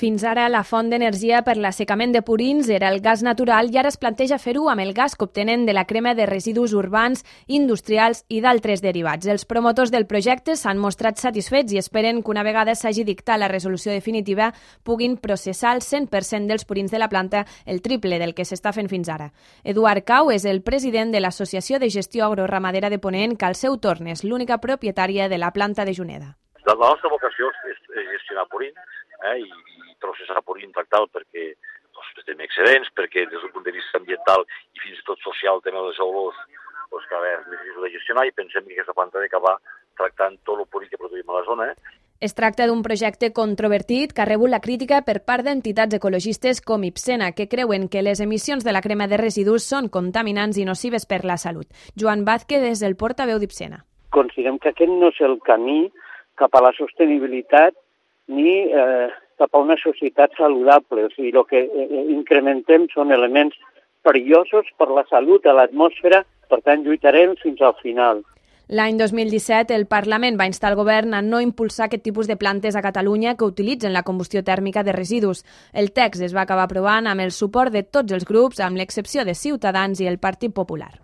Fins ara, la font d'energia per l'assecament de purins era el gas natural i ara es planteja fer-ho amb el gas que obtenen de la crema de residus urbans, industrials i d'altres derivats. Els promotors del projecte s'han mostrat satisfets i esperen que una vegada s'hagi dictat la resolució definitiva puguin processar el 100% dels purins de la planta, el triple del que s'està fent fins ara. Eduard Cau és el president de l'Associació de Gestió Agroramadera de Ponent, que al seu torn és l'única propietària de la planta de Juneda. La nostra vocació és gestionar purín i processar purín, tractar-lo perquè tenim excedents, perquè des d'un punt de vista ambiental i fins i tot social també les olors que és més difícil de gestionar i pensem que aquesta planta ha d'acabar tractant tot el purí que produïm a la zona. Es tracta d'un projecte controvertit que ha rebut la crítica per part d'entitats ecologistes com Ipsena, que creuen que les emissions de la crema de residus són contaminants i nocives per la salut. Joan Vázquez és el portaveu d'Ipsena. Considerem que aquest no és el camí cap a la sostenibilitat ni cap a una societat saludable. O sigui, el que incrementem són elements perillosos per la salut, a l'atmosfera, per tant lluitarem fins al final. L'any 2017, el Parlament va instar el govern a no impulsar aquest tipus de plantes a Catalunya que utilitzen la combustió tèrmica de residus. El text es va acabar aprovant amb el suport de tots els grups, amb l'excepció de Ciutadans i el Partit Popular.